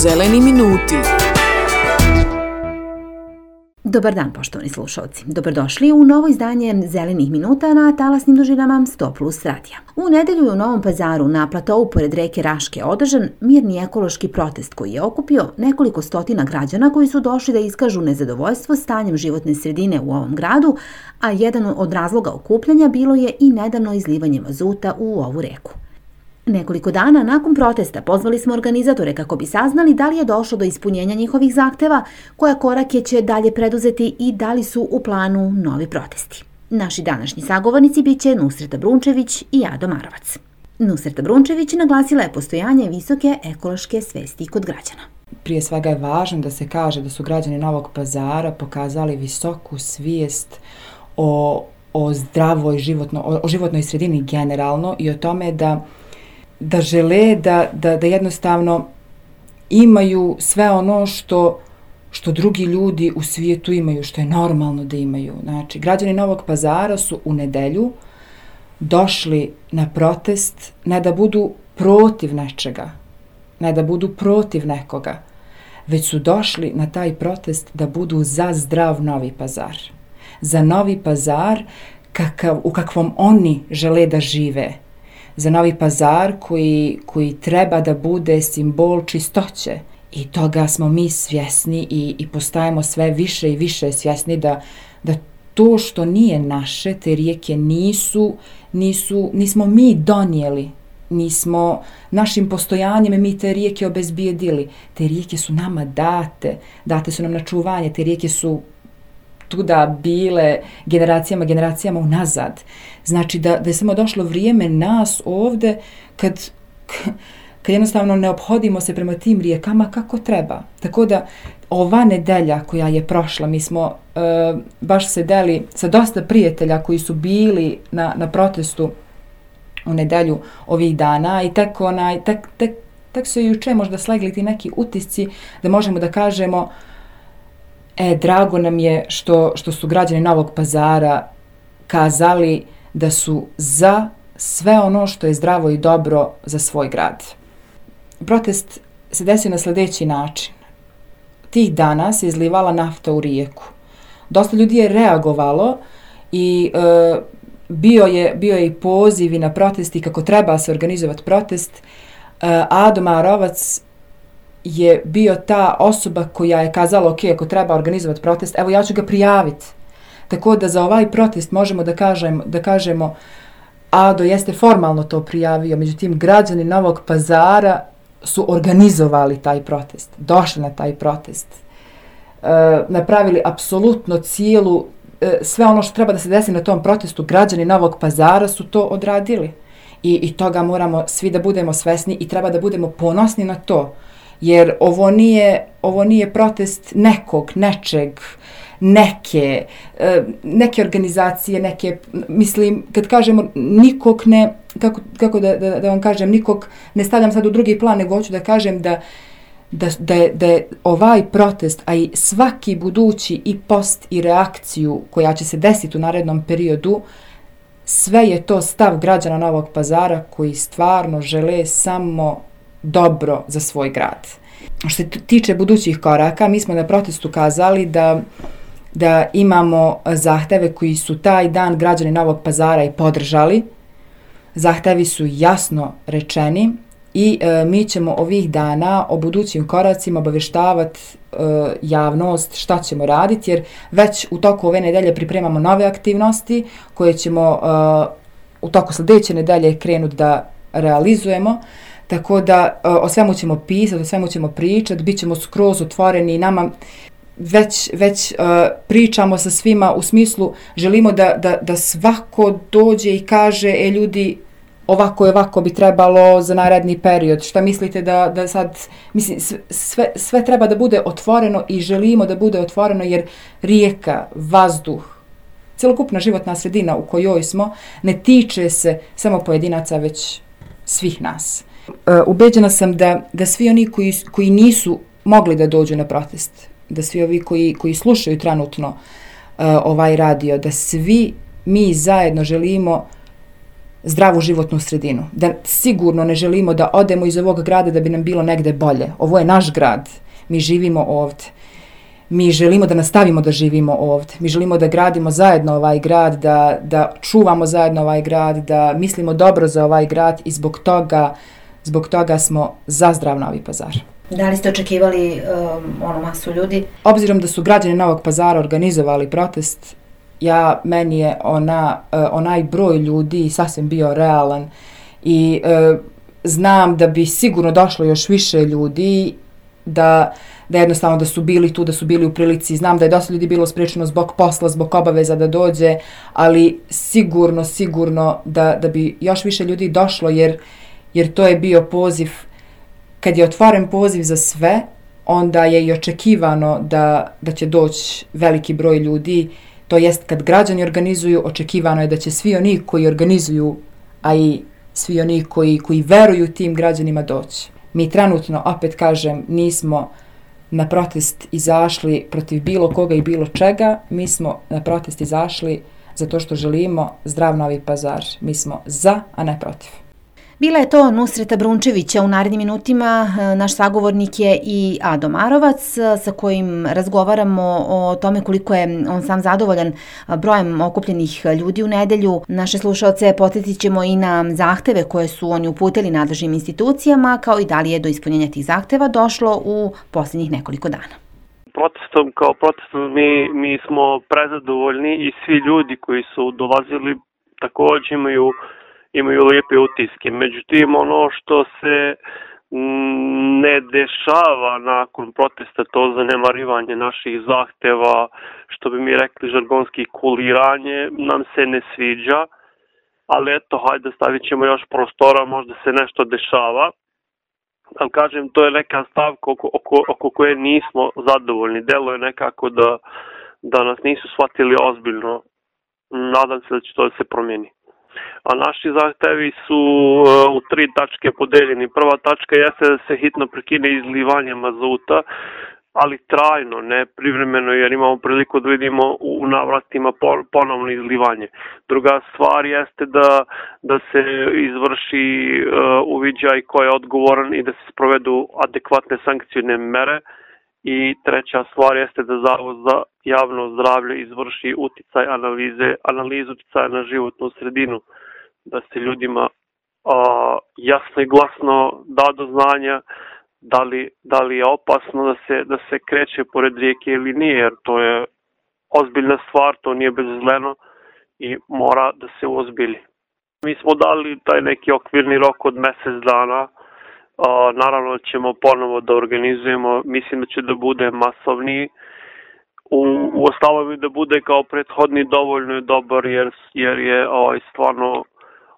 Zeleni minuti. Dobar dan, poštovani slušalci. Dobrodošli u novo izdanje Zelenih minuta na talasnim dužinama 100+ radija. U nedelju je u Novom Pazaru na platovu pored reke Raške održan mirni ekološki protest koji je okupio nekoliko stotina građana koji su došli da iskažu nezadovoljstvo stanjem životne sredine u ovom gradu, a jedan od razloga okupljanja bilo je i nedavno izlivanje mazuta u ovu reku. Nekoliko dana nakon protesta pozvali smo organizatore kako bi saznali da li je došlo do ispunjenja njihovih zahteva, koje korake će dalje preduzeti i da li su u planu novi protesti. Naši današnji sagovornici biće Nusreta Brunčević i Ado Marovac. Nusreta Brunčević naglasila je postojanje visoke ekološke svesti kod građana. Prije svega je važno da se kaže da su građani Novog Pazara pokazali visoku svijest o zdravoj životnoj sredini generalno i o tome da žele da jednostavno imaju sve ono što drugi ljudi u svijetu imaju, što je normalno da imaju. Znači, građani Novog Pazara su u nedelju došli na protest ne da budu protiv nečega, ne da budu protiv nekoga, već su došli na taj protest da budu za zdrav Novi Pazar. Za Novi Pazar u kakvom oni žele da žive. Za Novi Pazar koji treba da bude simbol čistoće. I toga smo mi svjesni i postajemo sve više i više svjesni da to što nije naše, te rijeke nismo mi donijeli, nismo našim postojanjem mi te rijeke obezbijedili. Te rijeke su nama date su nam na čuvanje, te rijeke su tuda bile generacijama unazad. Znači da je samo došlo vrijeme nas ovdje kad jednostavno ne ophodimo se prema tim rijekama kako treba. Tako da ova nedelja koja je prošla, mi smo baš sedeli sa dosta prijatelja koji su bili na protestu u nedelju ovih dana i tek su juče možda slegli ti neki utisci da možemo da kažemo drago nam je što su građani Novog Pazara kazali da su za sve ono što je zdravo i dobro za svoj grad. Protest se desio na sljedeći način. Tih dana se izlivala nafta u rijeku. Dosta ljudi je reagovalo i bio je i poziv na protesti kako treba se organizovati protest. Ado Marovac je bio ta osoba koja je kazala ok, ako treba organizovati protest, evo ja ću ga prijaviti. Tako da za ovaj protest možemo da kažemo Ado jeste formalno to prijavio, međutim građani Novog Pazara su organizovali taj protest, došli na taj protest, napravili apsolutno sve ono što treba da se desi na tom protestu, građani Novog Pazara su to odradili. I toga moramo svi da budemo svesni i treba da budemo ponosni na to. Jer ovo nije protest nekog, nečeg, neke organizacije, mislim, kad kažemo nikog ne, kako da vam kažem, nikog ne stavljam sad u drugi plan, nego hoću da kažem da je ovaj protest, a i svaki budući i post i reakciju koja će se desiti u narednom periodu, sve je to stav građana Novog Pazara koji stvarno žele samo dobro za svoj grad. Što se tiče budućih koraka, mi smo na protestu kazali da imamo zahteve koji su taj dan građani Novog Pazara i podržali. Zahtevi su jasno rečeni i mi ćemo ovih dana o budućim koracima obavještavati javnost šta ćemo raditi, jer već u toku ove nedelje pripremamo nove aktivnosti koje ćemo u toku sljedeće nedelje krenuti da realizujemo. Tako da o svemu ćemo pisati, o svemu ćemo pričati, bit ćemo skroz otvoreni i nama već pričamo sa svima u smislu želimo da svako dođe i kaže ljudi ovako bi trebalo za naredni period. Šta mislite da sad, mislim, sve treba da bude otvoreno i želimo da bude otvoreno jer rijeka, vazduh, celokupna životna sredina u kojoj smo ne tiče se samo pojedinaca već svih nas. Ubeđena sam da svi oni koji nisu mogli da dođu na protest, da svi ovi koji slušaju trenutno ovaj radio, da svi mi zajedno želimo zdravu životnu sredinu. Da sigurno ne želimo da odemo iz ovog grada da bi nam bilo negde bolje. Ovo je naš grad. Mi živimo ovdje. Mi želimo da nastavimo da živimo ovdje. Mi želimo da gradimo zajedno ovaj grad, da čuvamo zajedno ovaj grad, da mislimo dobro za ovaj grad i zbog toga smo za zdrav Novi Pazar. Da li ste očekivali masu ljudi? Obzirom da su građani Novog Pazara organizovali protest, meni je onaj broj ljudi sasvim bio realan i znam da bi sigurno došlo još više ljudi, da jednostavno da su bili tu, da su bili u prilici. Znam da je dosta ljudi bilo sprečeno zbog posla, zbog obaveza da dođe, ali sigurno da bi još više ljudi došlo, jer to je bio poziv. Kad je otvoren poziv za sve, onda je i očekivano da će doći veliki broj ljudi. To jest, kad građani organizuju, očekivano je da će svi oni koji organizuju, a i svi oni koji veruju tim građanima doći. Mi trenutno, opet kažem, nismo na protest izašli protiv bilo koga i bilo čega. Mi smo na protest izašli zato što želimo zdrav Novi Pazar. Mi smo za, a ne protiv. Bila je to Nusreta Brunčevića. U narednim minutima naš sagovornik je i Ado Marovac, sa kojim razgovaramo o tome koliko je on sam zadovoljan brojem okupljenih ljudi u nedelju. Naše slušaoce podsjetit ćemo i na zahteve koje su oni uputili nadležnim institucijama, kao i da li je do ispunjenja tih zahteva došlo u posljednjih nekoliko dana. Protestom mi smo prezadovoljni i svi ljudi koji su dolazili također imaju lijepe utiske. Međutim, ono što se ne dešava nakon protesta, to zanemarivanje naših zahteva, što bi mi rekli žargonski kuliranje, nam se ne sviđa. Ali eto, hajde, stavit ćemo još prostora, možda se nešto dešava. Ali kažem, to je neka stavka oko koje nismo zadovoljni. Delo je nekako da nas nisu shvatili ozbiljno. Nadam se da će to da se promijeni. A naši zahtevi su u 3 tačke podeljeni. Prva tačka jeste da se hitno prekine izlivanje mazuta, ali trajno, ne privremeno, jer imamo priliku da vidimo u navratima ponovno izlivanje. Druga stvar jeste da se izvrši uviđaj ko je odgovoran i da se sprovedu adekvatne sankcijne mere. I treća stvar jeste da Zavod za javno zdravlje izvrši analizu uticaja na životnu sredinu, da se ljudima jasno i glasno da do znanja da li je opasno da se kreće pored rijeke ili nije, jer to je ozbiljna stvar, to nije bezazleno i mora da se uozbilji. Mi smo dali taj neki okvirni rok od mjesec dana. Naravno ćemo ponovo da organizujemo, mislim da će da bude masovniji. U ostalom da bude kao prethodni dovoljno je dobar jer je stvarno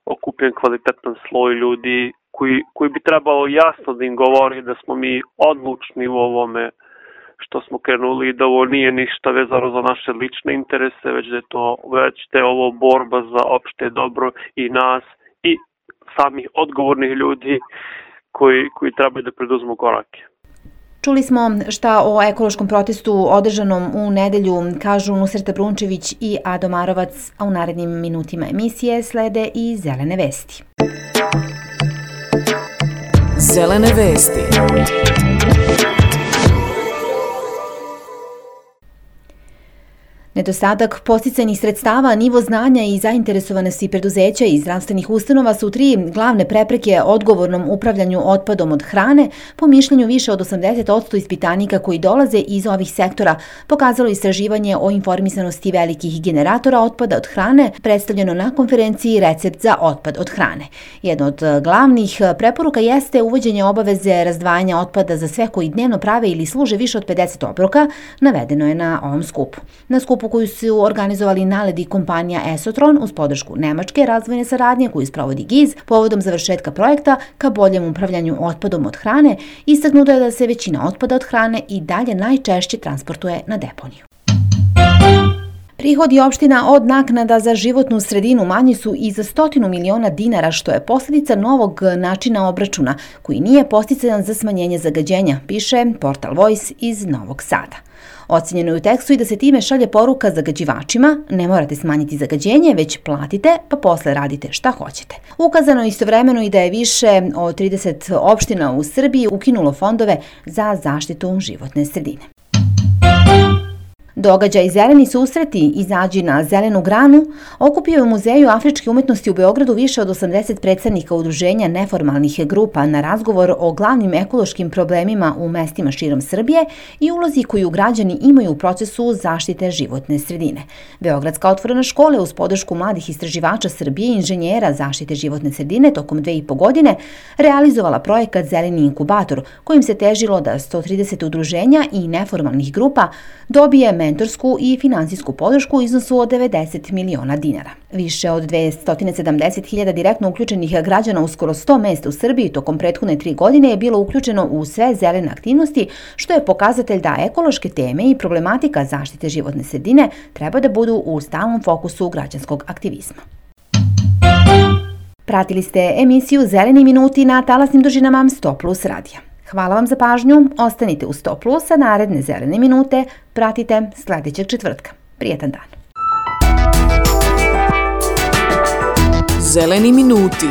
okupljen kvalitetan sloj ljudi koji bi trebalo jasno da im govori da smo mi odlučni u ovome što smo krenuli i da ovo nije ništa vezano za naše lične interese, već da je ovo borba za opšte dobro i nas i samih odgovornih ljudi koji trebaju da preduzmu korake. Čuli smo šta o ekološkom protestu održanom u nedelju kažu Nusreta Brunčević i Ado Marovac, a u narednim minutima emisije slede i zelene vesti. Zelene vesti. Nedostatak podsticajnih sredstava, nivo znanja i zainteresovanosti preduzeća i zdravstvenih ustanova su 3 glavne prepreke odgovornom upravljanju otpadom od hrane, po mišljenju više od 80% ispitanika koji dolaze iz ovih sektora, pokazalo istraživanje o informisanosti velikih generatora otpada od hrane, predstavljeno na konferenciji Recept za otpad od hrane. Jedna od glavnih preporuka jeste uvođenje obaveze razdvajanja otpada za sve koji dnevno prave ili služe više od 50 obroka, navedeno je na ovom skupu. Na skupu koju su organizovali NALED i kompanija Esotron uz podršku Nemačke razvojne saradnje koju sprovodi GIZ povodom završetka projekta ka boljem upravljanju otpadom od hrane, istaknuto je da se većina otpada od hrane i dalje najčešće transportuje na deponiju. Prihodi opština od naknada za životnu sredinu manji su i za 100 miliona dinara, što je posljedica novog načina obračuna, koji nije posticajan za smanjenje zagađenja, piše portal Voice iz Novog Sada. Ocenjeno je u tekstu i da se time šalje poruka zagađivačima: ne morate smanjiti zagađenje, već platite, pa posle radite šta hoćete. Ukazano je istovremeno i da je više od 30 opština u Srbiji ukinulo fondove za zaštitu životne sredine. Događaj Zeleni susreti, izađi na zelenu granu, okupio je u Muzeju afričke umetnosti u Beogradu više od 80 predstavnika udruženja neformalnih grupa na razgovor o glavnim ekološkim problemima u mestima širom Srbije i ulozi koju građani imaju u procesu zaštite životne sredine. Beogradska otvorena škola uz podršku mladih istraživača Srbije i inženjera zaštite životne sredine tokom 2,5 godine realizovala projekat Zeleni inkubator, kojim se težilo da 130 udruženja i neformalnih grupa dobije mentorsku i finansijsku podršku u iznosu od 90 miliona dinara. Više od 270.000 direktno uključenih građana u skoro 100 mesta u Srbiji tokom prethodne 3 godine je bilo uključeno u sve zelene aktivnosti, što je pokazatelj da ekološke teme i problematika zaštite životne sredine treba da budu u stalnom fokusu građanskog aktivizma. Pratili ste emisiju Zeleni minuti na talasnim dužinama 100+ radija. Hvala vam za pažnju, ostanite u 100+, a naredne zelene minute pratite sljedećeg četvrtka. Prijetan dan. Zeleni minuti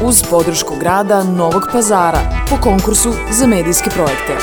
uz podršku grada Novog Pazara po konkursu za medijske projekte.